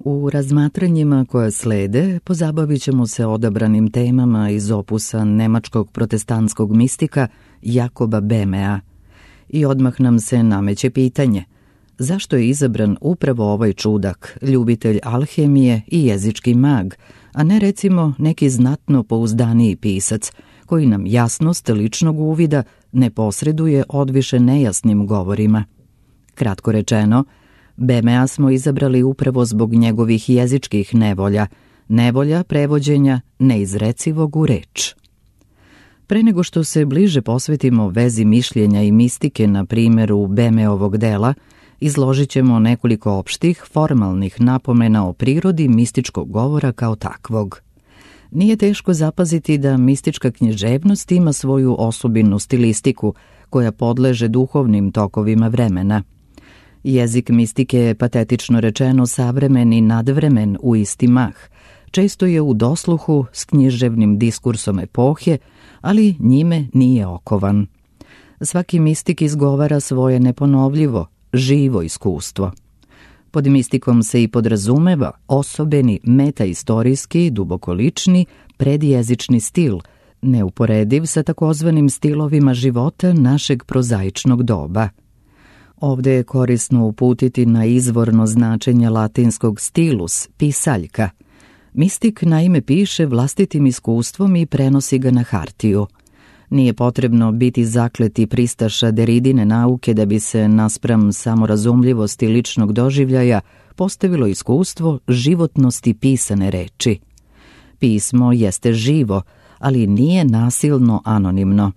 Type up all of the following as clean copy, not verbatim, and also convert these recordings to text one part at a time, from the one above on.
U razmatranjima koja slede pozabavit ćemo se odabranim temama iz opusa nemačkog protestantskog mistika Jakoba Böhmea. I odmah nam se nameće pitanje: zašto je izabran upravo ovaj čudak, ljubitelj alhemije i jezički mag, a ne recimo neki znatno pouzdaniji pisac, koji nam jasnost ličnog uvida ne posreduje odviše nejasnim govorima? Kratko rečeno, Böhmea smo izabrali upravo zbog njegovih jezičkih nevolja prevođenja neizrecivog u reč. Pre nego što se bliže posvetimo vezi mišljenja i mistike na primjeru Böhmeovog dela, izložit ćemo nekoliko opštih, formalnih napomena o prirodi mističkog govora kao takvog. Nije teško zapaziti da mistička književnost ima svoju osobinu stilistiku koja podleže duhovnim tokovima vremena. Jezik mistike je, patetično rečeno, savremen i nadvremen u isti mah. Često je u dosluhu s književnim diskursom epohe, ali njime nije okovan. Svaki mistik izgovara svoje neponovljivo, živo iskustvo. Pod mistikom se i podrazumeva osobeni, metaistorijski, dubokolični, predjezični stil, neuporediv sa takozvanim stilovima života našeg prozaičnog doba. Ovde je korisno uputiti na izvorno značenje latinskog stilus, pisaljka. Mistik naime piše vlastitim iskustvom i prenosi ga na hartiju. Nije potrebno biti zakleti pristaša Deridine nauke da bi se naspram samorazumljivosti ličnog doživljaja postavilo iskustvo životnosti pisane reči. Pismo jeste živo, ali nije nasilno anonimno.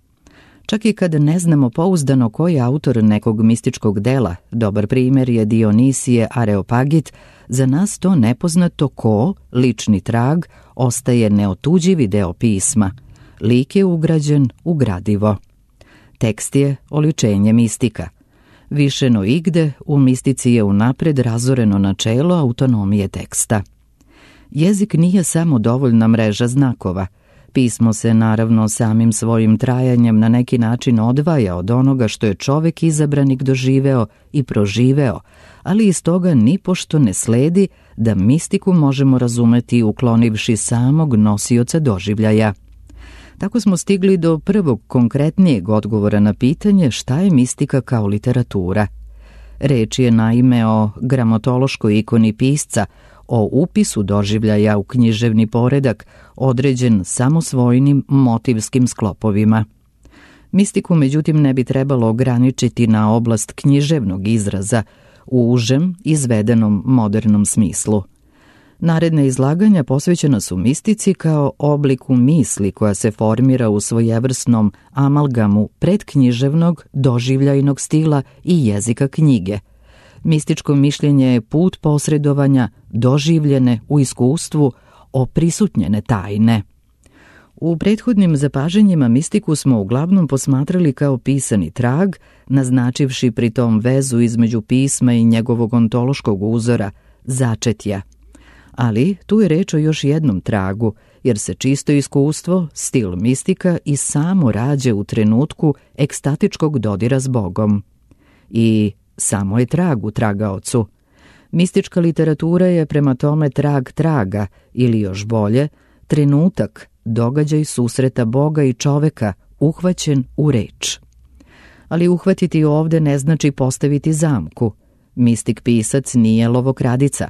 Čak i kad ne znamo pouzdano ko je autor nekog mističkog dela, dobar primjer je Dionisije Areopagit, za nas to nepoznato ko, lični trag, ostaje neotuđivi deo pisma. Lik je ugrađen u gradivo. Tekst je oličenje mistika. Više no igde, u mistici je unapred razoreno načelo autonomije teksta. Jezik nije samo dovoljna mreža znakova. Pismo se naravno samim svojim trajanjem na neki način odvaja od onoga što je čovek izabranik doživeo i proživeo, ali iz toga nipošto ne sledi da mistiku možemo razumeti uklonivši samog nosioca doživljaja. Tako smo stigli do prvog konkretnijeg odgovora na pitanje šta je mistika kao literatura. Reč je naime o gramotološkoj ikoni pisca, o upisu doživljaja u književni poredak, određen samosvojnim motivskim sklopovima. Mistiku, međutim, ne bi trebalo ograničiti na oblast književnog izraza u užem, izvedenom modernom smislu. Naredne izlaganja posvećena su mistici kao obliku misli koja se formira u svojevrsnom amalgamu predknjiževnog, doživljajnog stila i jezika knjige. Mističko mišljenje je put posredovanja doživljene u iskustvu oprisutnjene tajne. U prethodnim zapažanjima mistiku smo uglavnom posmatrali kao pisani trag, naznačivši pritom vezu između pisma i njegovog ontološkog uzora, začetja. Ali tu je reč o još jednom tragu, jer se čisto iskustvo, stil mistika i samo rađe u trenutku ekstatičkog dodira s Bogom. I samo je trag u tragaocu. Mistička literatura je prema tome trag traga, ili još bolje, trenutak, događaj susreta Boga i čoveka, uhvaćen u reč. Ali uhvatiti ovde ne znači postaviti zamku. Mistik pisac nije lovokradica.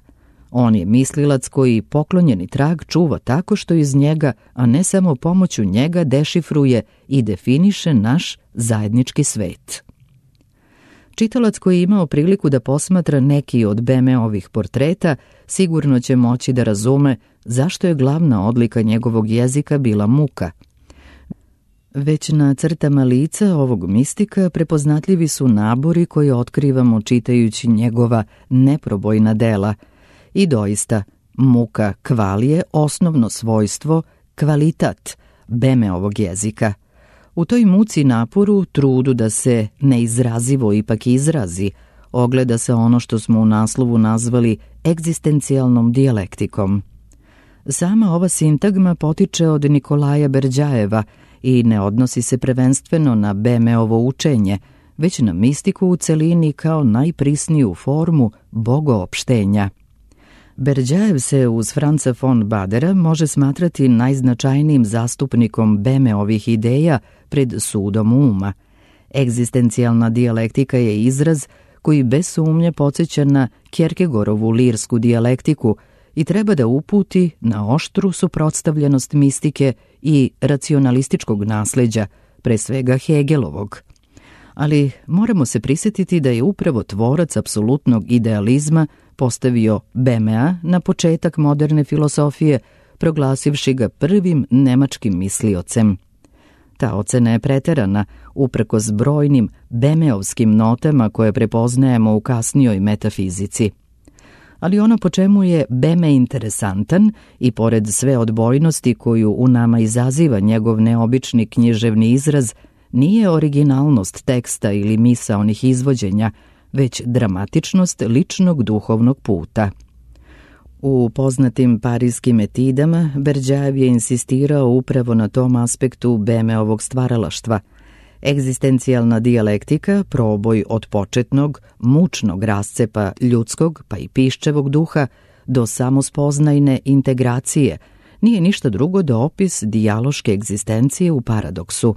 On je mislilac koji poklonjeni trag čuva tako što iz njega, a ne samo pomoću njega, dešifruje i definiše naš zajednički svet. Čitalac koji je imao priliku da posmatra neki od Böhmeovih portreta sigurno će moći da razume zašto je glavna odlika njegovog jezika bila muka. Već na crtama lica ovog mistika prepoznatljivi su nabori koje otkrivamo čitajući njegova neprobojna dela. I doista, muka kvalije osnovno svojstvo, kvalitat Böhmeovog jezika. U toj muci naporu, trudu da se neizrazivo ipak izrazi, ogleda se ono što smo u naslovu nazvali egzistencijalnom dijalektikom. Sama ova sintagma potiče od Nikolaja Berdjajeva i ne odnosi se prvenstveno na Böhmeovo učenje, već na mistiku u celini kao najprisniju formu bogoopštenja. Berdjajev se uz Franza von Badera može smatrati najznačajnijim zastupnikom Bemeovih ideja pred sudom uma. Egzistencijalna dijalektika je izraz koji bez sumnje podsjeća na Kierkegaardovu lirsku dijalektiku i treba da uputi na oštru suprotstavljenost mistike i racionalističkog nasleđa, pre svega Hegelovog. Ali moramo se prisjetiti da je upravo tvorac apsolutnog idealizma postavio Bemea na početak moderne filosofije, proglasivši ga prvim nemačkim misliocem. Ta ocena je preterana, uprkos brojnim bemeovskim notama koje prepoznajemo u kasnijoj metafizici. Ali ono po čemu je Beme interesantan i pored sve odbojnosti koju u nama izaziva njegov neobični književni izraz, nije originalnost teksta ili misaonih izvođenja, već dramatičnost ličnog duhovnog puta. U poznatim parijskim etidama Berdjajev je insistirao upravo na tom aspektu Bemeovog stvaralaštva. Egzistencijalna dijalektika, proboj od početnog, mučnog rascepa ljudskog pa i piščevog duha do samospoznajne integracije, nije ništa drugo do opis dijaloške egzistencije u paradoksu.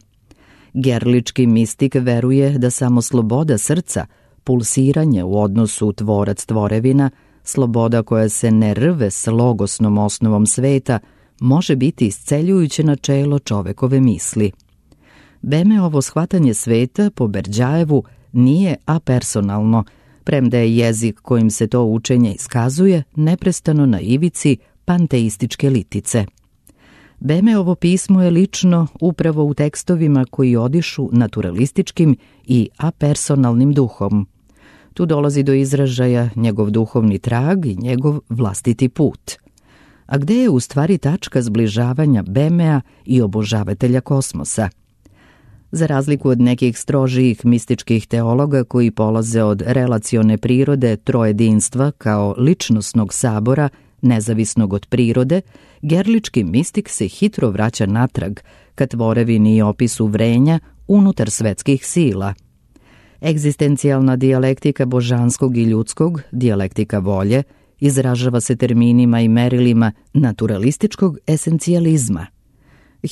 Gerlički mistik veruje da samo sloboda srca, pulsiranje u odnosu tvorac-tvorevina, sloboda koja se ne rve s logosnom osnovom sveta, može biti isceljujuće načelo čovekove misli. Bemeovo shvatanje sveta po Berdjajevu nije apersonalno, premda je jezik kojim se to učenje iskazuje neprestano na ivici panteističke litice. Bemeovo pismo je lično upravo u tekstovima koji odišu naturalističkim i apersonalnim duhom. Tu dolazi do izražaja njegov duhovni trag i njegov vlastiti put. A gde je u stvari tačka zbližavanja Bemea i obožavatelja kosmosa? Za razliku od nekih strožijih mističkih teologa koji polaze od relacione prirode trojedinstva kao ličnosnog sabora, nezavisnog od prirode, gerlički mistik se hitro vraća natrag ka tvorevini i opisu vrenja unutar svetskih sila. Egzistencijalna dijalektika božanskog i ljudskog, dijalektika volje, izražava se terminima i merilima naturalističkog esencijalizma.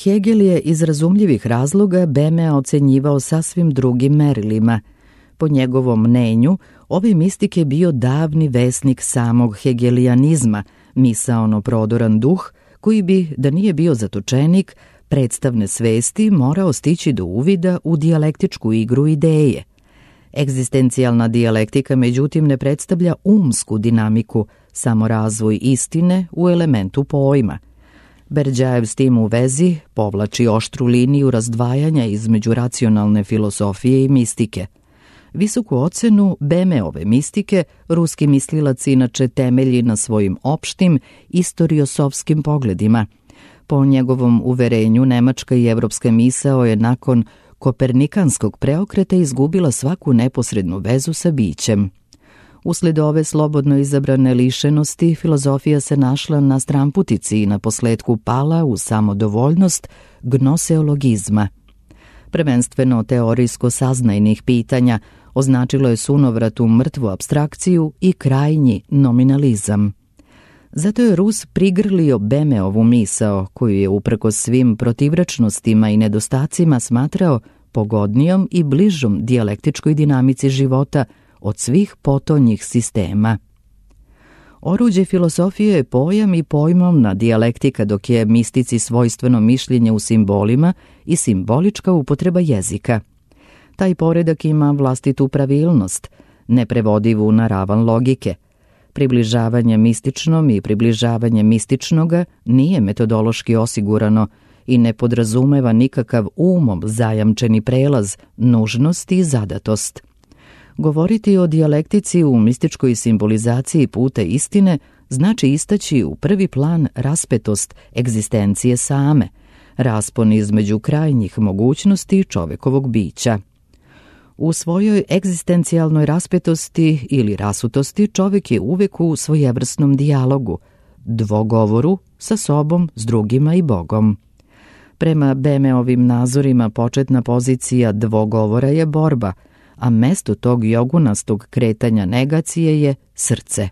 Hegel je iz razumljivih razloga Bemea ocenjivao sasvim drugim merilima. Po njegovom mnenju, ovaj mistik je bio davni vesnik samog hegelijanizma, misaono prodoran duh, koji bi, da nije bio zatočenik, predstavne svesti morao stići do uvida u dijalektičku igru ideje. Egzistencijalna dijalektika, međutim, ne predstavlja umsku dinamiku, samo razvoj istine u elementu pojma. Berdjajev s tim u vezi povlači oštru liniju razdvajanja između racionalne filosofije i mistike. Visoku ocenu Bemeove mistike ruski mislilac inače temelji na svojim opštim istoriosofskim pogledima. Po njegovom uverenju, nemačka i evropska misao je nakon kopernikanskog preokreta izgubila svaku neposrednu vezu sa bićem. Usled ove slobodno izabrane lišenosti, filozofija se našla na stramputici i na posledku pala u samodovoljnost gnoseologizma. Prvenstveno teorijsko-saznajnih pitanja označilo je sunovrat u mrtvu apstrakciju i krajnji nominalizam. Zato je Rus prigrlio Bemeovu misao, koju je uprkos svim protivrečnostima i nedostacima smatrao pogodnijom i bližom dijalektičkoj dinamici života od svih potonjih sistema. Oruđe filosofije je pojam i pojmovna dijalektika, dok je mistici svojstveno mišljenje u simbolima i simbolička upotreba jezika. Taj poredak ima vlastitu pravilnost, neprevodivu na ravan logike. Približavanje mističnom i približavanje mističnoga nije metodološki osigurano i ne podrazumeva nikakav umom zajamčeni prelaz, nužnost i zadatost. Govoriti o dijalektici u mističkoj simbolizaciji puta istine znači istaći u prvi plan raspetost egzistencije same, raspon između krajnjih mogućnosti čovekovog bića. U svojoj egzistencijalnoj raspetosti ili rasutosti čovek je uvek u svojevrsnom dijalogu, dvogovoru sa sobom, s drugima i Bogom. Prema Bemeovim nazorima početna pozicija dvogovora je borba, a mesto tog jogunastog kretanja negacije je srce.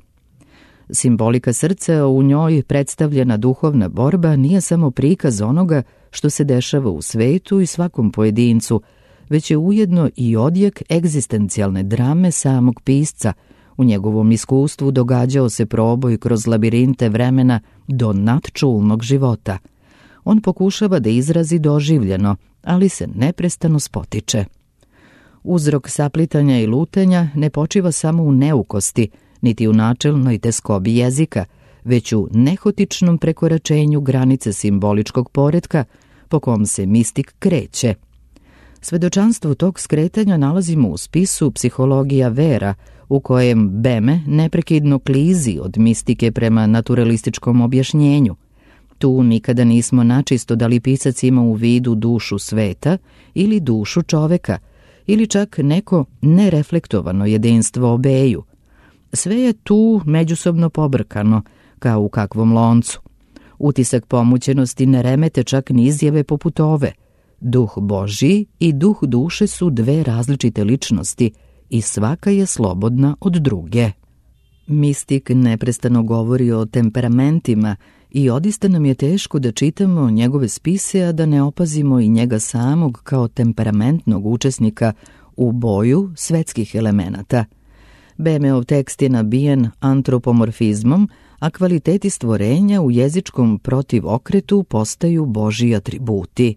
Simbolika srca, u njoj predstavljena duhovna borba, nije samo prikaz onoga što se dešava u svetu i svakom pojedincu, već je ujedno i odjek egzistencijalne drame samog pisca. U njegovom iskustvu događao se proboj kroz labirinte vremena do nadčulnog života. On pokušava da izrazi doživljeno, ali se neprestano spotiče. Uzrok saplitanja i lutenja ne počiva samo u neukosti, niti u načelnoj teskobi jezika, već u nehotičnom prekoračenju granice simboličkog poretka po kom se mistik kreće. Svedočanstvo tog skretanja nalazimo u spisu Psihologija vera, u kojem Beme neprekidno klizi od mistike prema naturalističkom objašnjenju. Tu nikada nismo načisto da li pisac ima u vidu dušu sveta ili dušu čoveka, ili čak neko nereflektovano jedinstvo obeju. Sve je tu međusobno pobrkano, kao u kakvom loncu. Utisak pomućenosti ne remete čak ni izjave poput ove. Duh Božji i duh duše su dve različite ličnosti i svaka je slobodna od druge. Mistik neprestano govori o temperamentima i odista nam je teško da čitamo njegove spise, a da ne opazimo i njega samog kao temperamentnog učesnika u boju svetskih elemenata. Bemeov tekst je nabijen antropomorfizmom, a kvaliteti stvorenja u jezičkom protivokretu postaju Božji atributi.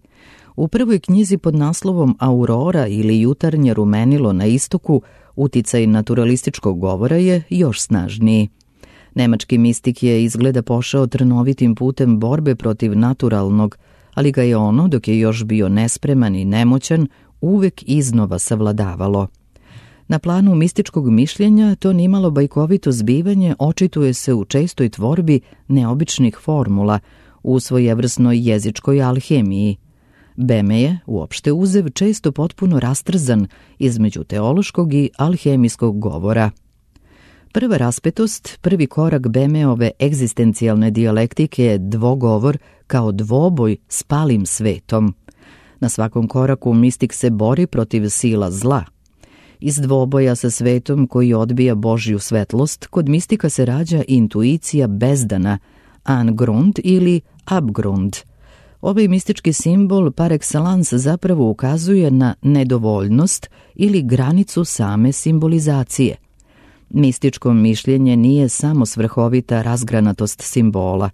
U prvoj knjizi pod naslovom Aurora ili jutarnje rumenilo na istoku, uticaj naturalističkog govora je još snažniji. Nemački mistik je izgleda pošao trnovitim putem borbe protiv naturalnog, ali ga je ono, dok je još bio nespreman i nemoćan, uvek iznova savladavalo. Na planu mističkog mišljenja to nimalo bajkovito zbivanje očituje se u čestoj tvorbi neobičnih formula, u svojevrsnoj jezičkoj alhemiji. Beme je, uopšte uzev, često potpuno rastrzan između teološkog i alhemijskog govora. Prva raspetost, prvi korak Bemeove egzistencijalne dijalektike je dvogovor kao dvoboj s palim svetom. Na svakom koraku mistik se bori protiv sila zla. Iz dvoboja sa svetom koji odbija Božju svetlost, kod mistika se rađa intuicija bezdana, angrund ili abgrund. Ovaj mistički simbol par excellence zapravo ukazuje na nedovoljnost ili granicu same simbolizacije. Mističko mišljenje nije samo svrhovita razgranatost simbola,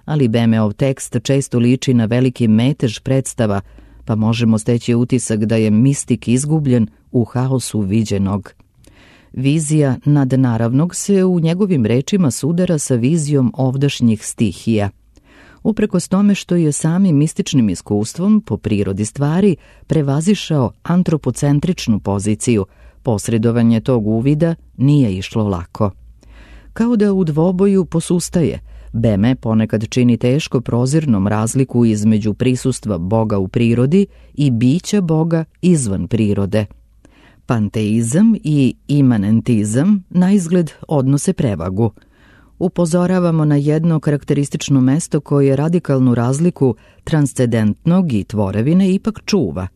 ali Bemeov tekst često liči na veliki metež predstava, pa možemo steći utisak da je mistik izgubljen u haosu viđenog. Vizija nadnaravnog se u njegovim rečima sudara sa vizijom ovdašnjih stihija. Uprkos tome što je samim mističnim iskustvom po prirodi stvari prevazišao antropocentričnu poziciju, posredovanje tog uvida nije išlo lako. Kao da u dvoboju posustaje, Beme ponekad čini teško prozirnom razliku između prisustva Boga u prirodi i bića Boga izvan prirode. Panteizam i imanentizam naizgled odnose prevagu. Upozoravamo na jedno karakteristično mesto koje radikalnu razliku transcendentnog i tvorevine ipak čuva.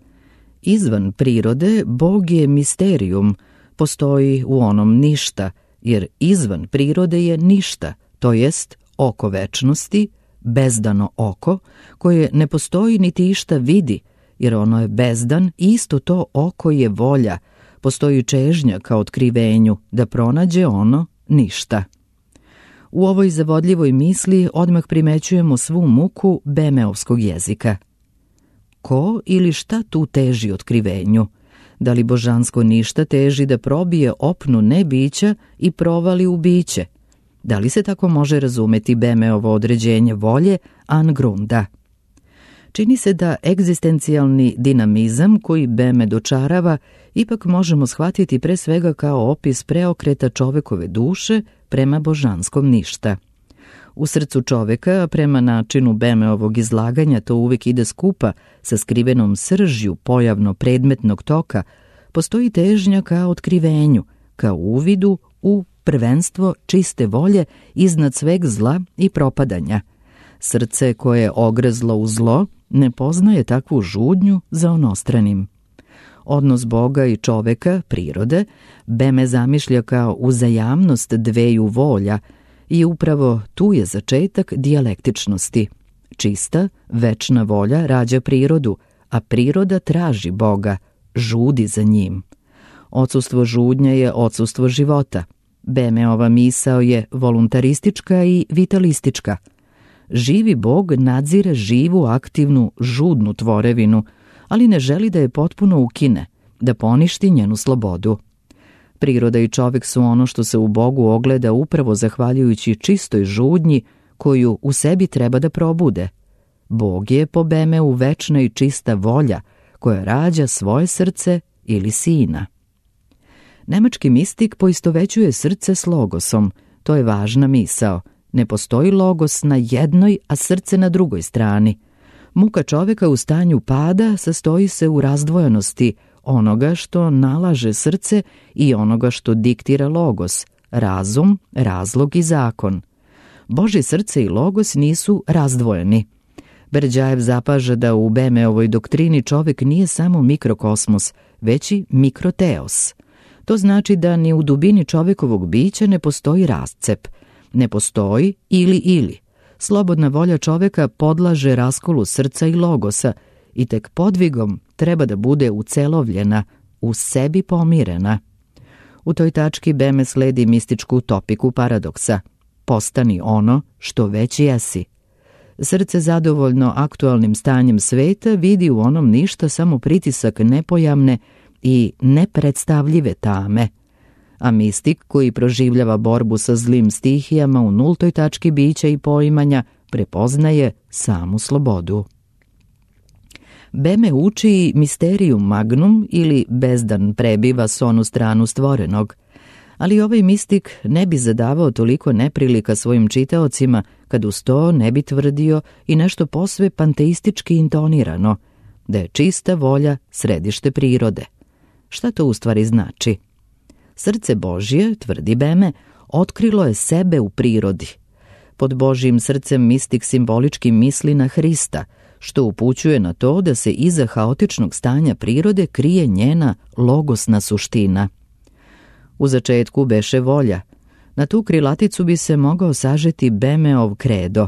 Izvan prirode Bog je misterijum, postoji u onom ništa, jer izvan prirode je ništa, to jest oko večnosti, bezdano oko, koje ne postoji niti išta vidi, jer ono je bezdan i isto to oko je volja, postoji čežnja ka otkrivenju da pronađe ono ništa. U ovoj zavodljivoj misli odmah primećujemo svu muku bemeovskog jezika. Ko ili šta tu teži otkrivenju? Da li božansko ništa teži da probije opnu nebića i provali u biće? Da li se tako može razumeti Bemeovo određenje volje angrunda? Čini se da egzistencijalni dinamizam koji Beme dočarava ipak možemo shvatiti pre svega kao opis preokreta čovekove duše prema božanskom ništa. U srcu čoveka, prema načinu Bemeovog izlaganja, to uvijek ide skupa sa skrivenom sržju pojavno-predmetnog toka, postoji težnja ka otkrivenju, ka uvidu u prvenstvo čiste volje iznad sveg zla i propadanja. Srce koje je ogrezlo u zlo ne poznaje takvu žudnju za onostranim. Odnos Boga i čoveka, prirode, Beme zamišlja kao uzajamnost dveju volja, i upravo tu je začetak dijalektičnosti. Čista, večna volja rađa prirodu, a priroda traži Boga, žudi za njim. Odsustvo žudnje je odsustvo života. Bemeova misao je voluntaristička i vitalistička. Živi Bog nadzire živu, aktivnu, žudnu tvorevinu, ali ne želi da je potpuno ukine, da poništi njenu slobodu. Priroda i čovek su ono što se u Bogu ogleda upravo zahvaljujući čistoj žudnji koju u sebi treba da probude. Bog je po Bemeu večna i čista volja koja rađa svoje srce ili sina. Nemački mistik poistovećuje srce s logosom. To je važna misao. Ne postoji logos na jednoj, a srce na drugoj strani. Muka čoveka u stanju pada sastoji se u razdvojenosti onoga što nalaže srce i onoga što diktira logos, razum, razlog i zakon. Božje srce i logos nisu razdvojeni. Berdjajev zapaža da u Bemeovoj doktrini čovek nije samo mikrokosmos, već i mikroteos. To znači da ni u dubini čovekovog bića ne postoji rascep. Ne postoji ili. Slobodna volja čoveka podlaže raskolu srca i logosa i tek podvigom treba da bude ucelovljena, u sebi pomirena. U toj tački Beme sledi mističku topiku paradoksa. Postani ono što već jesi. Srce zadovoljno aktualnim stanjem sveta vidi u onom ništa samo pritisak nepojamne i nepredstavljive tame. A mistik koji proživljava borbu sa zlim stihijama u nultoj tački bića i poimanja prepoznaje samu slobodu. Beme uči misterium magnum ili bezdan prebiva s onu stranu stvorenog, ali ovaj mistik ne bi zadavao toliko neprilika svojim čitaocima kad uz to ne bi tvrdio i nešto posve panteistički intonirano, da je čista volja središte prirode. Šta to u stvari znači? Srce Božje, tvrdi Beme, otkrilo je sebe u prirodi. Pod Božjim srcem mistik simbolički misli na Hrista, što upućuje na to da se iza haotičnog stanja prirode krije njena logosna suština. U začetku beše volja. Na tu krilaticu bi se mogao sažeti Bemeov kredo.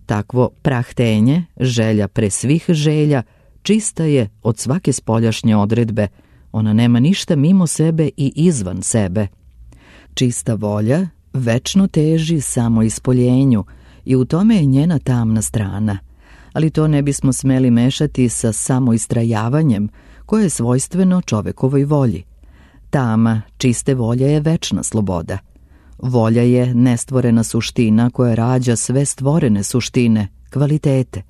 Takvo prahtenje, želja pre svih želja, čista je od svake spoljašnje odredbe. Ona nema ništa mimo sebe i izvan sebe. Čista volja večno teži samo ispoljenju i u tome je njena tamna strana. Ali to ne bismo smeli mešati sa samoistrajavanjem koje je svojstveno čovekovoj volji. Tama čiste volje je večna sloboda. Volja je nestvorena suština koja rađa sve stvorene suštine, kvalitete.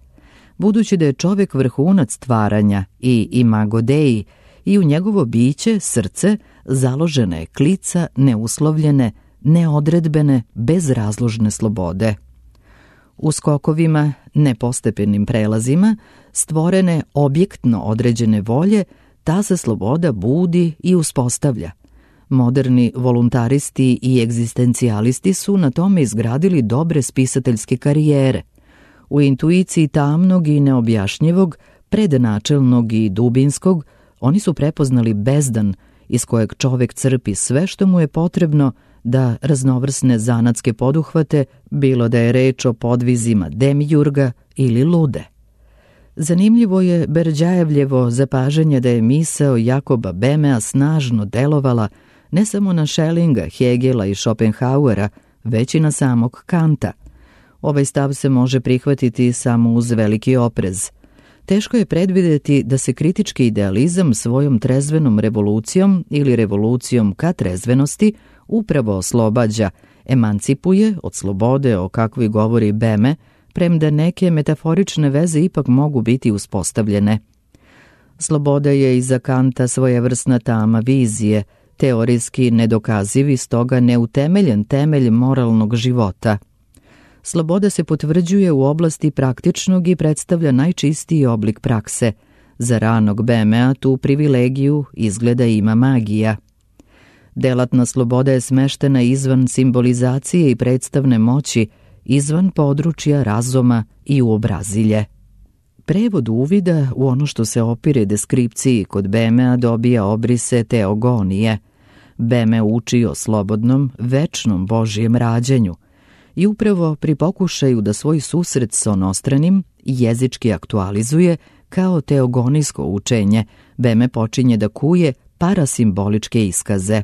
Budući da je čovek vrhunac stvaranja i imago Dei, i u njegovo biće, srce, založena je klica neuslovljene, neodredbene, bezrazložne slobode. U skokovima, nepostepenim prelazima, stvorene objektno određene volje, ta se sloboda budi i uspostavlja. Moderni voluntaristi i egzistencijalisti su na tome izgradili dobre spisateljske karijere. U intuiciji tamnog i neobjašnjivog, prednačelnog i dubinskog, oni su prepoznali bezdan iz kojeg čovek crpi sve što mu je potrebno da raznovrsne zanatske poduhvate, bilo da je reč o podvizima demijurga ili lude. Zanimljivo je Berdjajevljevo zapažanje da je misao Jakoba Bemea snažno delovala ne samo na Schellinga, Hegela i Schopenhauera, već i na samog Kanta. Ovaj stav se može prihvatiti samo uz veliki oprez. Teško je predvideti da se kritički idealizam svojom trezvenom revolucijom ili revolucijom ka trezvenosti upravo oslobađa, emancipuje od slobode o kakvoj govori Beme, premda neke metaforične veze ipak mogu biti uspostavljene. Sloboda je i za Kanta svojevrsna tama vizije, teorijski nedokaziv i stoga neutemeljen temelj moralnog života. Sloboda se potvrđuje u oblasti praktičnog i predstavlja najčistiji oblik prakse. Za ranog Bemea tu privilegiju izgleda ima magija. Delatna sloboda je smeštena izvan simbolizacije i predstavne moći, izvan područja razuma i uobrazilje. Prevod uvida u ono što se opire deskripciji kod Bemea dobija obrise teogonije. Beme uči o slobodnom, večnom Božjem rađenju. I upravo pri pokušaju da svoj susret s onostranim jezički aktualizuje kao teogonijsko učenje, Beme počinje da kuje parasimboličke iskaze.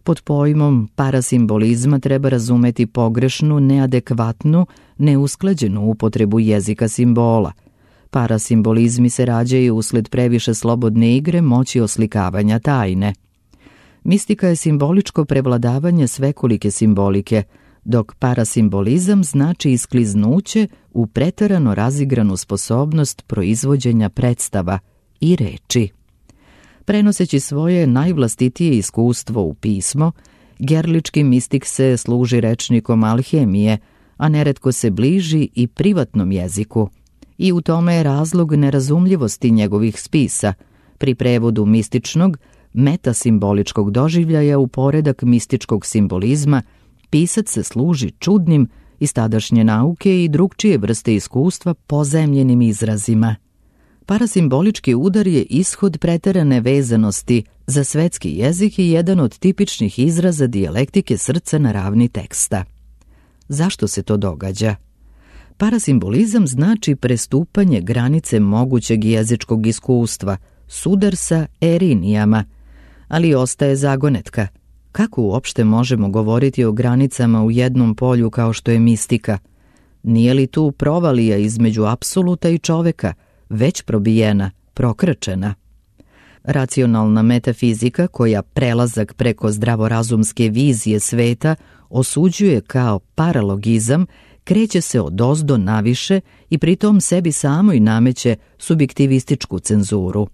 Pod pojmom parasimbolizma treba razumeti pogrešnu, neadekvatnu, neusklađenu upotrebu jezika simbola. Parasimbolizmi se rađaju usled previše slobodne igre moći oslikavanja tajne. Mistika je simboličko prevladavanje svekolike simbolike, dok parasimbolizam znači iskliznuće u preterano razigranu sposobnost proizvođenja predstava i reči. Prenoseći svoje najvlastitije iskustvo u pismo, gerlički mistik se služi rečnikom alhemije, a neretko se bliži i privatnom jeziku. I u tome je razlog nerazumljivosti njegovih spisa, pri prevodu mističnog, metasimboličkog doživljaja u poredak mističkog simbolizma, pisac se služi čudnim iz tadašnje nauke i drugčije vrste iskustva pozajemljenim izrazima. Parasimbolički udar je ishod preterane vezanosti za svetski jezik i jedan od tipičnih izraza dijalektike srca na ravni teksta. Zašto se to događa? Parasimbolizam znači prestupanje granice mogućeg jezičkog iskustva, sudar sa erinijama, ali ostaje zagonetka. Kako uopšte možemo govoriti o granicama u jednom polju kao što je mistika? Nije li tu provalija između apsoluta i čoveka, već probijena, prokrčena? Racionalna metafizika, koja prelazak preko zdravorazumske vizije sveta osuđuje kao paralogizam, kreće se odozdo naviše i pritom sebi samoj nameće subjektivističku cenzuru.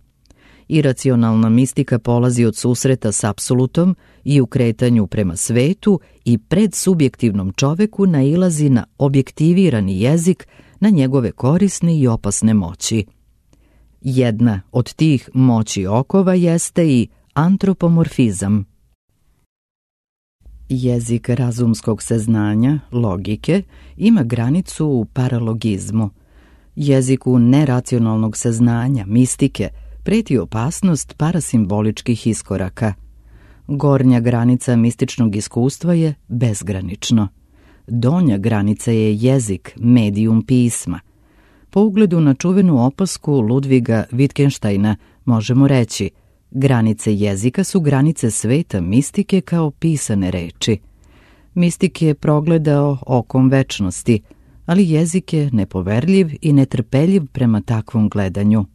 Iracionalna mistika polazi od susreta s apsolutom i u kretanju prema svetu i pred subjektivnom čoveku nailazi na objektivirani jezik, na njegove korisne i opasne moći. Jedna od tih moći okova jeste i antropomorfizam. Jezik razumskog saznanja, logike, ima granicu u paralogizmu. Jeziku neracionalnog saznanja, mistike, preti opasnost parasimboličkih iskoraka. Gornja granica mističnog iskustva je bezgranično. Donja granica je jezik, medijum pisma. Po ugledu na čuvenu opasku Ludviga Wittgensteina možemo reći: granice jezika su granice sveta mistike kao pisane reči. Mistik je progledao okom večnosti, ali jezik je nepoverljiv i netrpeljiv prema takvom gledanju.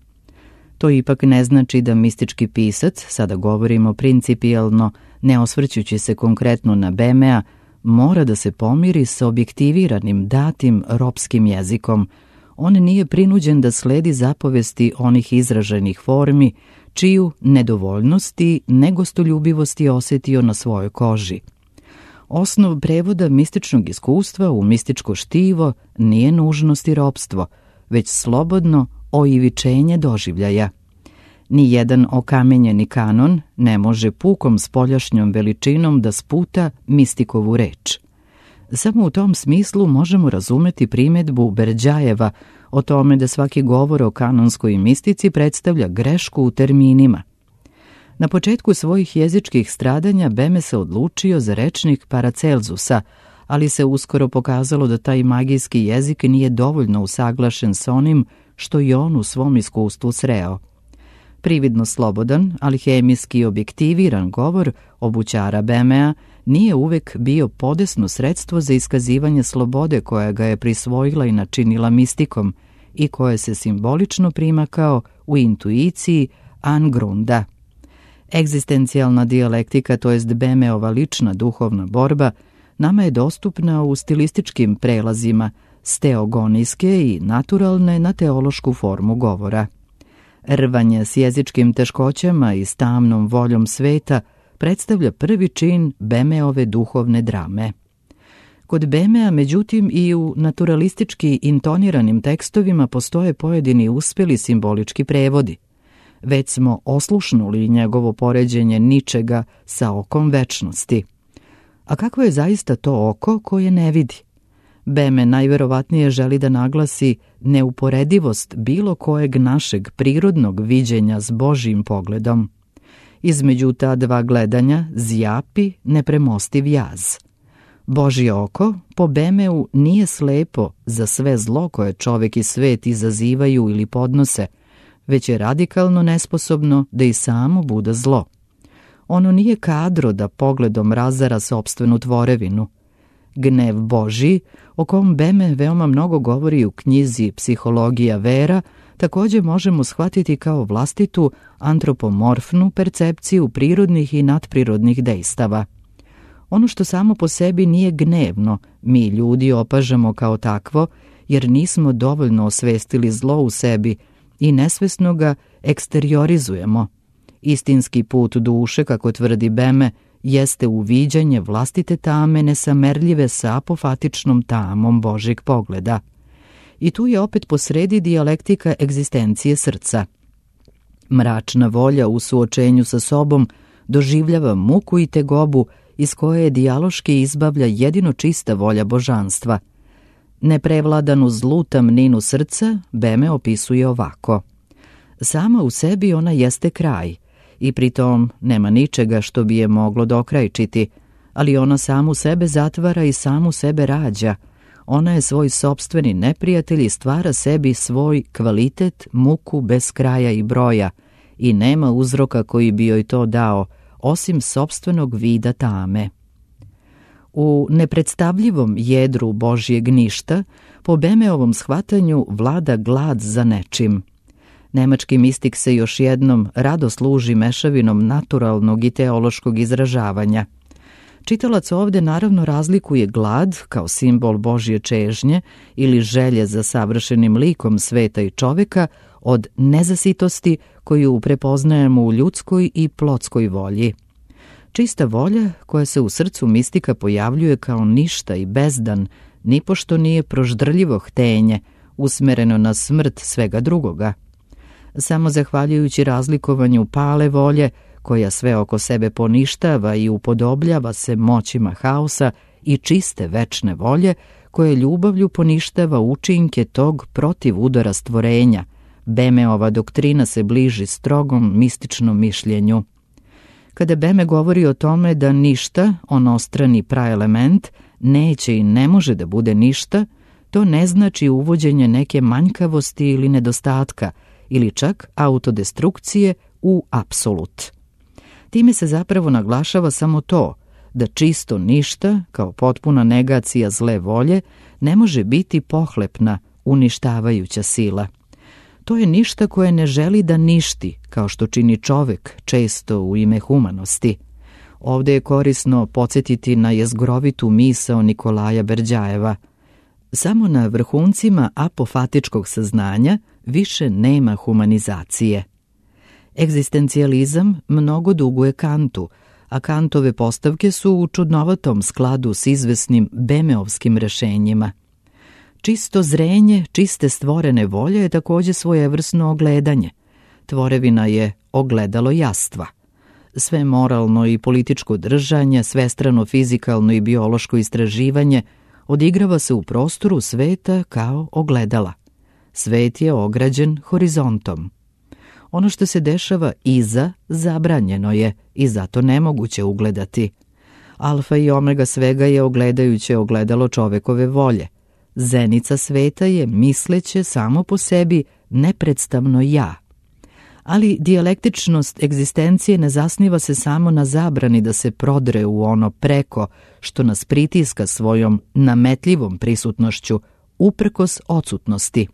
To ipak ne znači da mistički pisac, sada govorimo principijelno, ne osvrćući se konkretno na Bemea, mora da se pomiri sa objektiviranim, datim, ropskim jezikom. On nije prinuđen da sledi zapovesti onih izraženih formi, čiju nedovoljnost i negostoljubivost je osjetio na svojoj koži. Osnov prevoda mističnog iskustva u mističko štivo nije nužnost i ropstvo, već slobodno oivičenje doživljaja. Nijedan okamenjeni kanon ne može pukom spoljašnjom veličinom da sputa mistikovu reč. Samo u tom smislu možemo razumeti primjedbu Berđajeva o tome da svaki govor o kanonskoj mistici predstavlja grešku u terminima. Na početku svojih jezičkih stradanja Beme se odlučio za rečnik Paracelzusa, ali se uskoro pokazalo da taj magijski jezik nije dovoljno usaglašen s onim što i on u svom iskustvu sreo. Prividno slobodan, ali hemijski objektiviran govor obućara Bemea nije uvek bio podesno sredstvo za iskazivanje slobode koja ga je prisvojila i načinila mistikom i koje se simbolično prima kao u intuiciji angrunda. Egzistencijalna dijalektika, to jest Bemeova lična duhovna borba, nama je dostupna u stilističkim prelazima s teogonijske i naturalne na teološku formu govora. Rvanje s jezičkim teškoćama i s tamnom voljom sveta predstavlja prvi čin Bemeove duhovne drame. Kod Bemea, međutim, i u naturalistički intoniranim tekstovima postoje pojedini uspjeli simbolički prevodi. Već smo oslušnuli njegovo poređenje ničega sa okom večnosti. A kako je zaista to oko koje ne vidi? Beme najverovatnije želi da naglasi neuporedivost bilo kojeg našeg prirodnog viđenja s Božjim pogledom. Između ta dva gledanja zjapi nepremostiv jaz. Božje oko po Bemeu nije slepo za sve zlo koje čovek i svet izazivaju ili podnose, već je radikalno nesposobno da i samo bude zlo. Ono nije kadro da pogledom razara sopstvenu tvorevinu. Gnev Božji, o kom Beme veoma mnogo govori u knjizi Psihologija vera, također možemo shvatiti kao vlastitu antropomorfnu percepciju prirodnih i nadprirodnih dejstava. Ono što samo po sebi nije gnevno, mi ljudi opažamo kao takvo, jer nismo dovoljno osvestili zlo u sebi i nesvesno ga eksteriorizujemo. Istinski put duše, kako tvrdi Beme, jeste uviđanje vlastite tame nesamerljive sa apofatičnom tamom Božjeg pogleda. I tu je opet posredi dijalektika egzistencije srca. Mračna volja u suočenju sa sobom doživljava muku i tegobu iz koje je dijaloški izbavlja jedino čista volja božanstva. Neprevladanu zlu tamninu srca Beme opisuje ovako. Sama u sebi ona jeste kraj i pritom nema ničega što bi je moglo dokrajčiti, ali ona samu sebe zatvara i samu sebe rađa. Ona je svoj sopstveni neprijatelj i stvara sebi svoj kvalitet, muku bez kraja i broja i nema uzroka koji bi joj to dao, osim sopstvenog vida tame. U nepredstavljivom jedru Božjeg ništa, po Bemeovom shvatanju vlada glad za nečim. Nemački mistik se još jednom rado služi mešavinom naturalnog i teološkog izražavanja. Čitalac ovdje naravno razlikuje glad kao simbol Božje čežnje ili želje za savršenim likom sveta i čoveka od nezasitosti koju prepoznajemo u ljudskoj i plotskoj volji. Čista volja koja se u srcu mistika pojavljuje kao ništa i bezdan, nipošto nije proždrljivo htenje, usmereno na smrt svega drugoga. Samo zahvaljujući razlikovanju pale volje, koja sve oko sebe poništava i upodobljava se moćima haosa, i čiste večne volje, koje ljubavlju poništava učinke tog protiv udara stvorenja, Bemeova doktrina se bliži strogom mističnom mišljenju. Kada Beme govori o tome da ništa, onostrani praelement, neće i ne može da bude ništa, to ne znači uvođenje neke manjkavosti ili nedostatka, ili čak autodestrukcije u apsolut. Time se zapravo naglašava samo to, da čisto ništa, kao potpuna negacija zle volje, ne može biti pohlepna, uništavajuća sila. To je ništa koje ne želi da ništi, kao što čini čovek, često u ime humanosti. Ovdje je korisno podsjetiti na jezgrovitu misao Nikolaja Berđajeva. Samo na vrhuncima apofatičkog saznanja više nema humanizacije. Egzistencijalizam mnogo duguje Kantu, a Kantove postavke su u čudnovatom skladu s izvesnim Bemeovskim rešenjima. Čisto zrenje, čiste stvorene volje je također svojevrsno ogledanje. Tvorevina je ogledalo jastva. Sve moralno i političko držanje, svestrano fizikalno i biološko istraživanje odigrava se u prostoru sveta kao ogledala. Svet je ograđen horizontom. Ono što se dešava iza zabranjeno je i zato nemoguće ugledati. Alfa i omega svega je ogledajuće ogledalo čovekove volje. Zenica sveta je misleće samo po sebi nepredstavno ja. Ali dijalektičnost egzistencije ne zasniva se samo na zabrani da se prodre u ono preko što nas pritiska svojom nametljivom prisutnošću uprkos odsutnosti.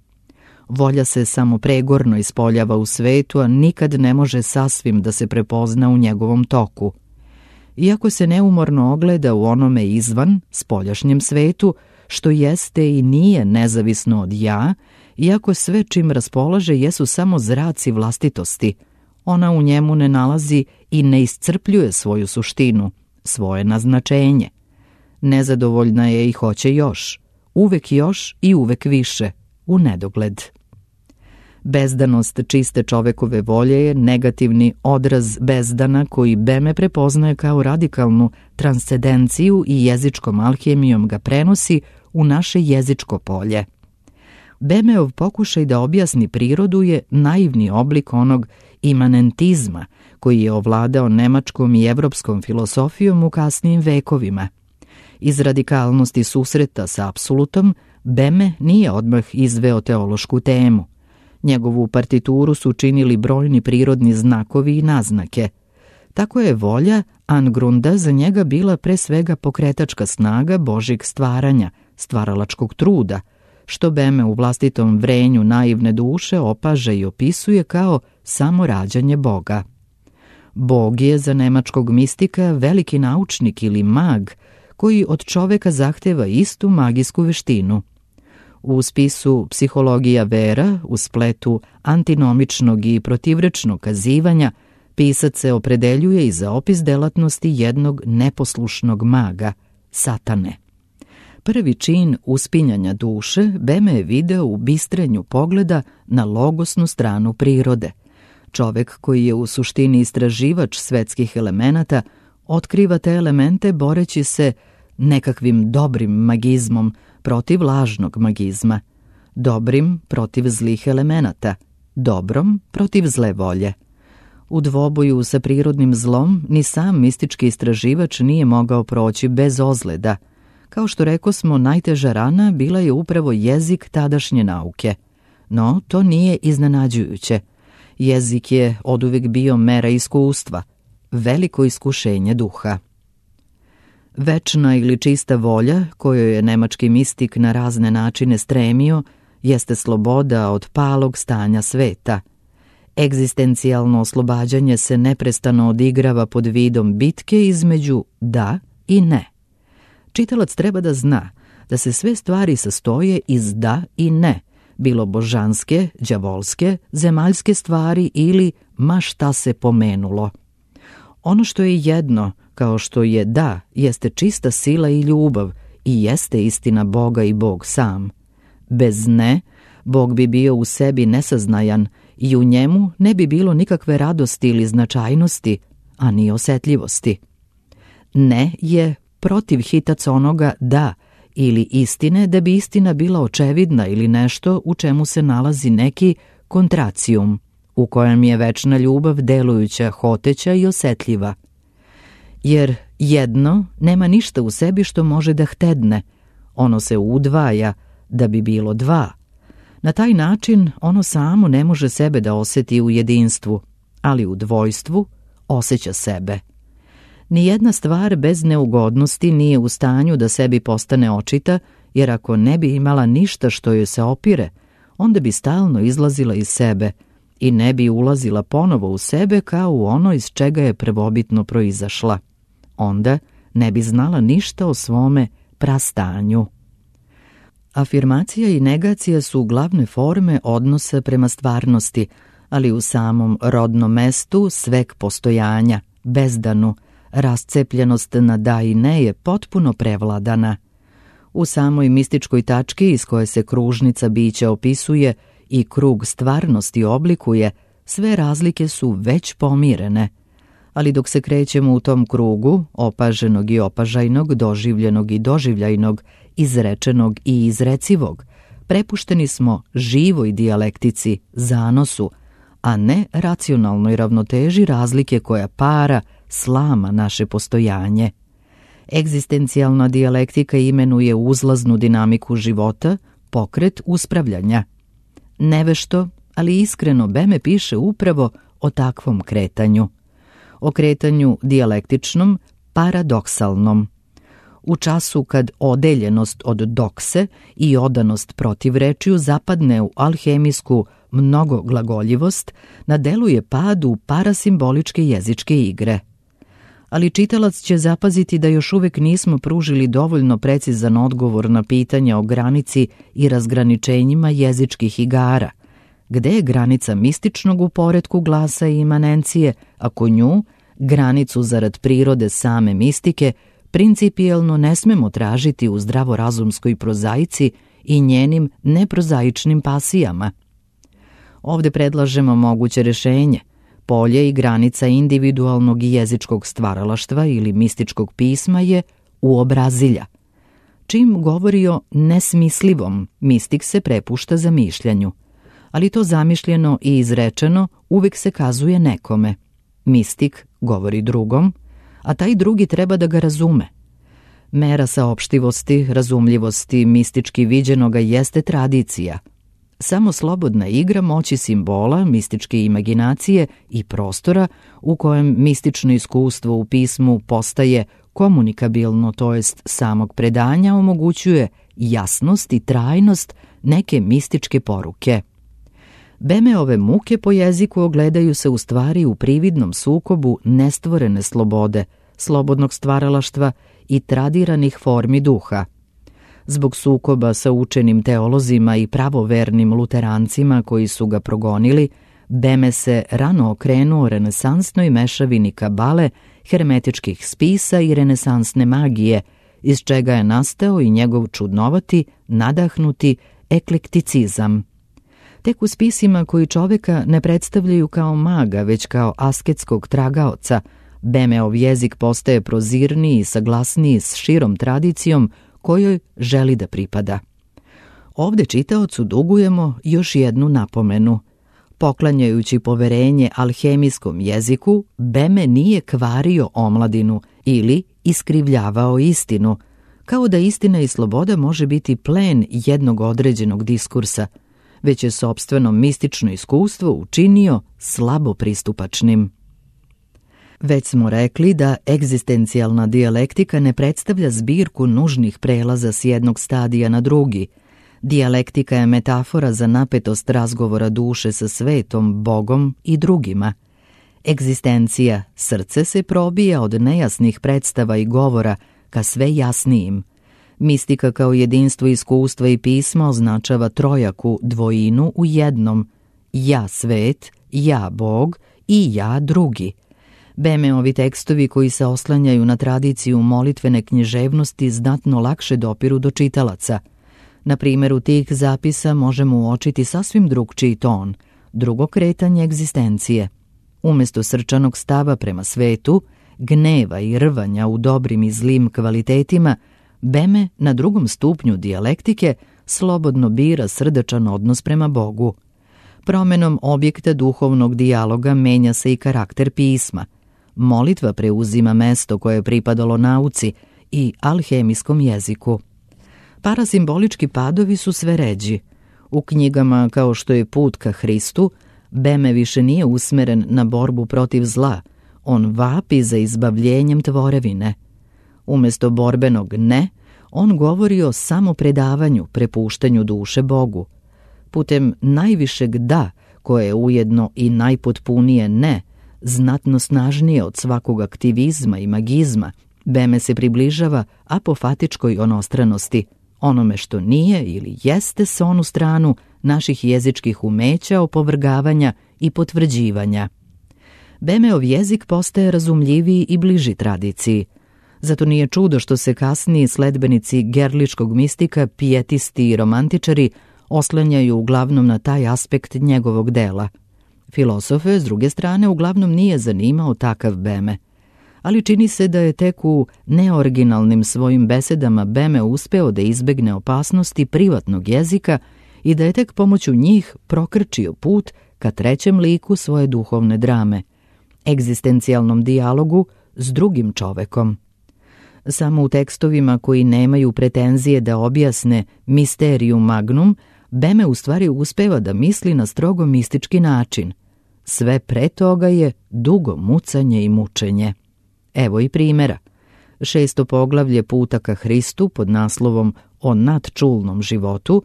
Volja se samo pregorno ispoljava u svetu, a nikad ne može sasvim da se prepozna u njegovom toku. Iako se neumorno ogleda u onome izvan, spoljašnjem svetu, što jeste i nije nezavisno od ja, iako sve čim raspolaže jesu samo zraci vlastitosti, ona u njemu ne nalazi i ne iscrpljuje svoju suštinu, svoje naznačenje. Nezadovoljna je i hoće još, uvek još i uvek više, u nedogled. Bezdanost čiste čovekove volje je negativni odraz bezdana koji Beme prepoznaje kao radikalnu transcendenciju i jezičkom alhemijom ga prenosi u naše jezičko polje. Bemeov pokušaj da objasni prirodu je naivni oblik onog imanentizma koji je ovladao nemačkom i evropskom filosofijom u kasnijim vekovima. Iz radikalnosti susreta sa apsolutom, Beme nije odmah izveo teološku temu. Njegovu partituru su činili brojni prirodni znakovi i naznake. Tako je volja Angrunda za njega bila pre svega pokretačka snaga Božjeg stvaranja, stvaralačkog truda, što Beme u vlastitom vrenju naivne duše opaže i opisuje kao samo rađanje Boga. Bog je za nemačkog mistika veliki naučnik ili mag koji od čoveka zahteva istu magijsku veštinu. U spisu Psihologija vera, u spletu antinomičnog i protivrečnog kazivanja, pisac se opredeljuje i za opis delatnosti jednog neposlušnog maga, satane. Prvi čin uspinjanja duše Beme je video u bistrenju pogleda na logosnu stranu prirode. Čovek koji je u suštini istraživač svetskih elemenata otkriva te elemente boreći se nekakvim dobrim magizmom protiv lažnog magizma, dobrim protiv zlih elemenata, dobrom protiv zle volje. U dvoboju sa prirodnim zlom ni sam mistički istraživač nije mogao proći bez ozleda. Kao što rekosmo, najteža rana bila je upravo jezik tadašnje nauke. No, to nije iznenađujuće. Jezik je oduvek bio mera iskustva, veliko iskušenje duha. Večna ili čista volja, kojoj je nemački mistik na razne načine stremio, jeste sloboda od palog stanja sveta. Egzistencijalno oslobađanje se neprestano odigrava pod vidom bitke između da i ne. Čitalac treba da zna da se sve stvari sastoje iz da i ne, bilo božanske, đavolske, zemaljske stvari ili ma šta se pomenulo. Ono što je jedno, kao što je da, jeste čista sila i ljubav i jeste istina Boga i Bog sam. Bez ne, Bog bi bio u sebi nesaznajan i u njemu ne bi bilo nikakve radosti ili značajnosti, a ni osetljivosti. Ne je protiv hitac onoga da ili istine da bi istina bila očevidna ili nešto u čemu se nalazi neki kontracijum, u kojem je večna ljubav delujuća, hoteća i osetljiva. Jer jedno nema ništa u sebi što može da htedne, ono se udvaja da bi bilo dva. Na taj način ono samo ne može sebe da oseti u jedinstvu, ali u dvojstvu osjeća sebe. Nijedna stvar bez neugodnosti nije u stanju da sebi postane očita, jer ako ne bi imala ništa što joj se opire, onda bi stalno izlazila iz sebe i ne bi ulazila ponovo u sebe kao u ono iz čega je prvobitno proizašla. Onda ne bi znala ništa o svome prastanju. Afirmacija i negacija su glavne forme odnosa prema stvarnosti, ali u samom rodnom mestu sveg postojanja, bezdanu, rascepljenost na da i ne je potpuno prevladana. U samoj mističkoj tački iz koje se kružnica bića opisuje i krug stvarnosti oblikuje, sve razlike su već pomirene. Ali dok se krećemo u tom krugu, opaženog i opažajnog, doživljenog i doživljajnog, izrečenog i izrecivog, prepušteni smo živoj dijalektici, zanosu, a ne racionalnoj ravnoteži razlike koja para, slama naše postojanje. Egzistencijalna dijalektika imenuje uzlaznu dinamiku života, pokret uspravljanja. Nevešto, ali iskreno Beme piše upravo o takvom kretanju. O kretanju dijalektičnom, paradoksalnom. U času kad odeljenost od dokse i odanost protivrečju zapadne u alhemijsku mnogoglagoljivost, na delu je pad u parasimboličke jezičke igre. Ali čitalac će zapaziti da još uvek nismo pružili dovoljno precizan odgovor na pitanja o granici i razgraničenjima jezičkih igara. Gde je granica mističnog u poretku glasa i imanencije, ako nju, granicu zarad prirode same mistike, principijelno ne smemo tražiti u zdravorazumskoj prozaici i njenim neprozaičnim pasijama? Ovde predlažemo moguće rešenje. Polje i granica individualnog i jezičkog stvaralaštva ili mističkog pisma je uobrazilja. Čim govori o nesmislivom, mistik se prepušta zamišljanju. Ali to zamišljeno i izrečeno uvek se kazuje nekome. Mistik govori drugom, a taj drugi treba da ga razume. Mera saopštivosti, razumljivosti, mistički viđenoga jeste tradicija. Samo slobodna igra moći simbola, mističke imaginacije i prostora u kojem mistično iskustvo u pismu postaje komunikabilno, to jest samog predanja, omogućuje jasnost i trajnost neke mističke poruke. Bemeove muke po jeziku ogledaju se u stvari u prividnom sukobu nestvorene slobode, slobodnog stvaralaštva i tradiranih formi duha. Zbog sukoba sa učenim teolozima i pravovernim luterancima koji su ga progonili, Beme se rano okrenuo renesansnoj mešavini kabale, hermetičkih spisa i renesansne magije, iz čega je nastao i njegov čudnovati, nadahnuti eklekticizam. Tek u spisima koji čoveka ne predstavljaju kao maga, već kao asketskog tragaoca, Bemeov jezik postaje prozirniji i saglasniji s širom tradicijom kojoj želi da pripada. Ovde čitaocu dugujemo još jednu napomenu. Poklanjajući poverenje alhemijskom jeziku, Beme nije kvario omladinu ili iskrivljavao istinu, kao da istina i sloboda može biti plen jednog određenog diskursa, već je sopstveno mistično iskustvo učinio slabo pristupačnim. Već smo rekli da egzistencijalna dijalektika ne predstavlja zbirku nužnih prelaza s jednog stadija na drugi. Dijalektika je metafora za napetost razgovora duše sa svetom, Bogom i drugima. Egzistencija, srce, se probija od nejasnih predstava i govora ka sve jasnijim. Mistika kao jedinstvo iskustva i pisma označava trojaku dvojinu u jednom: ja svet, ja Bog i ja drugi. Bemeovi tekstovi koji se oslanjaju na tradiciju molitvene književnosti znatno lakše dopiru do čitalaca. Na primjeru tih zapisa možemo uočiti sasvim drugčiji ton, drugo kretanje egzistencije. Umjesto srčanog stava prema svetu, gneva i rvanja u dobrim i zlim kvalitetima, Beme na drugom stupnju dijalektike slobodno bira srdačan odnos prema Bogu. Promenom objekta duhovnog dijaloga menja se i karakter pisma. Molitva preuzima mesto koje je pripadalo nauci i alhemijskom jeziku. Parasimbolički padovi su sve ređi. U knjigama kao što je Put ka Hristu, Beme više nije usmeren na borbu protiv zla, on vapi za izbavljenjem tvorevine. Umjesto borbenog ne, on govori o samopredavanju, prepuštanju duše Bogu. Putem najvišeg da, koje je ujedno i najpotpunije ne, znatno snažnije od svakog aktivizma i magizma, Beme se približava apofatičkoj onostranosti, onome što nije ili jeste sa onu stranu naših jezičkih umeća opovrgavanja i potvrđivanja. Bemeov jezik postaje razumljiviji i bliži tradiciji. Zato nije čudo što se kasniji sledbenici gerličkog mistika, pijetisti i romantičari oslanjaju uglavnom na taj aspekt njegovog dela. Filosofe, s druge strane, uglavnom nije zanimao takav Beme. Ali čini se da je tek u neoriginalnim svojim besedama Beme uspeo da izbegne opasnosti privatnog jezika i da je tek pomoću njih prokrčio put ka trećem liku svoje duhovne drame, egzistencijalnom dijalogu s drugim čovekom. Samo u tekstovima koji nemaju pretenzije da objasne mysterium magnum, Beme u stvari uspeva da misli na strogo mistički način. Sve pre toga je dugo mucanje i mučenje. Evo i primjera. 6. poglavlje Puta ka Hristu pod naslovom O nadčulnom životu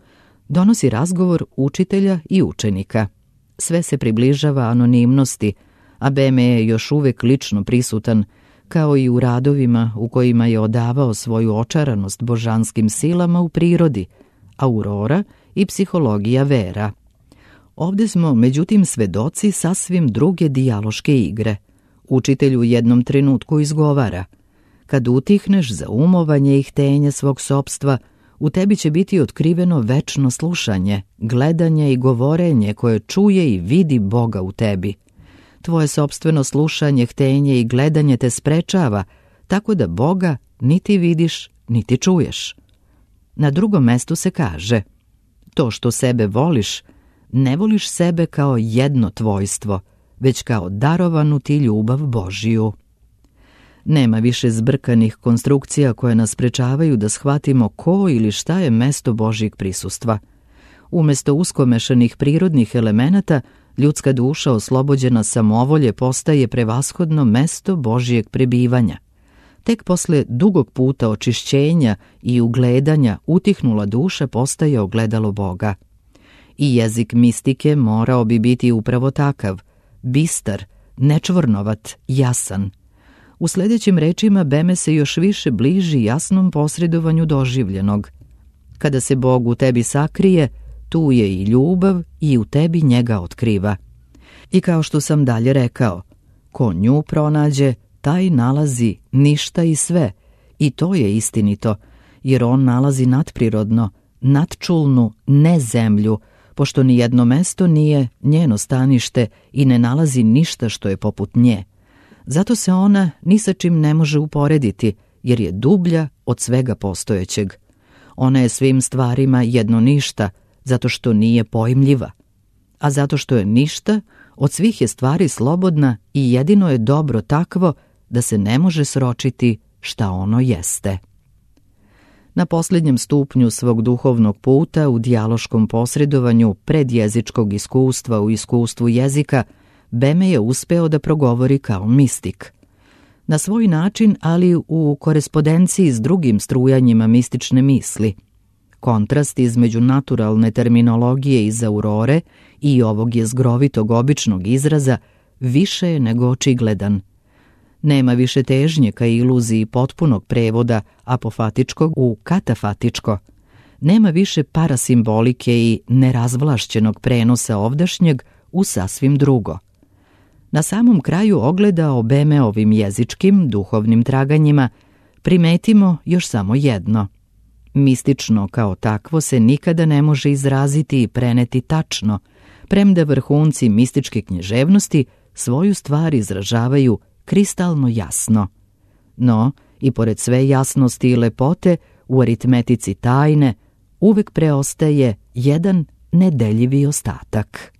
donosi razgovor učitelja i učenika. Sve se približava anonimnosti, a Beme je još uvek lično prisutan, kao i u radovima u kojima je odavao svoju očaranost božanskim silama u prirodi, aurora i psihologija vera. Ovde smo, međutim, svedoci sasvim druge dijaloške igre. Učitelj u jednom trenutku izgovara: kad utihneš za umovanje i htenje svog sopstva, u tebi će biti otkriveno večno slušanje, gledanje i govorenje koje čuje i vidi Boga u tebi. Tvoje sopstveno slušanje, htenje i gledanje te sprečava, tako da Boga niti vidiš, niti čuješ. Na drugom mestu se kaže: to što sebe voliš, ne voliš sebe kao jedno tvojstvo, već kao darovanu ti ljubav Božiju. Nema više zbrkanih konstrukcija koje nas sprečavaju da shvatimo ko ili šta je mesto Božjeg prisustva. Umesto uskomešanih prirodnih elemenata, ljudska duša oslobođena samovolje postaje prevashodno mesto Božjeg prebivanja. Tek posle dugog puta očišćenja i ugledanja utihnula duša postaje ogledalo Boga. I jezik mistike morao bi biti upravo takav, bistar, nečvornovat, jasan. U sljedećim rečima Beme se još više bliži jasnom posredovanju doživljenog. Kada se Bog u tebi sakrije, tu je i ljubav i u tebi njega otkriva. I kao što sam dalje rekao, ko nju pronađe, taj nalazi ništa i sve, i to je istinito, jer on nalazi nadprirodno, nadčulnu, ne zemlju, pošto ni jedno mesto nije njeno stanište i ne nalazi ništa što je poput nje. Zato se ona ni sa čim ne može uporediti, jer je dublja od svega postojećeg. Ona je svim stvarima jedno ništa, zato što nije pojmljiva. A zato što je ništa, od svih je stvari slobodna i jedino je dobro takvo da se ne može sročiti šta ono jeste. Na posljednjem stupnju svog duhovnog puta u dijaloškom posredovanju predjezičkog iskustva u iskustvu jezika, Beme je uspeo da progovori kao mistik. Na svoj način, ali u korespondenciji s drugim strujanjima mistične misli. Kontrast između naturalne terminologije iz Aurore i ovog jezgrovitog običnog izraza više je nego očigledan. Nema više težnje ka iluziji potpunog prevoda apofatičkog u katafatičko. Nema više parasimbolike i nerazvlašćenog prenosa ovdašnjeg u sasvim drugo. Na samom kraju ogleda o Bemeovim jezičkim, duhovnim traganjima primetimo još samo jedno. Mistično kao takvo se nikada ne može izraziti i preneti tačno, premda vrhunci mističke književnosti svoju stvar izražavaju kristalno jasno. No, i pored sve jasnosti i lepote, u aritmetici tajne uvek preostaje jedan nedeljivi ostatak.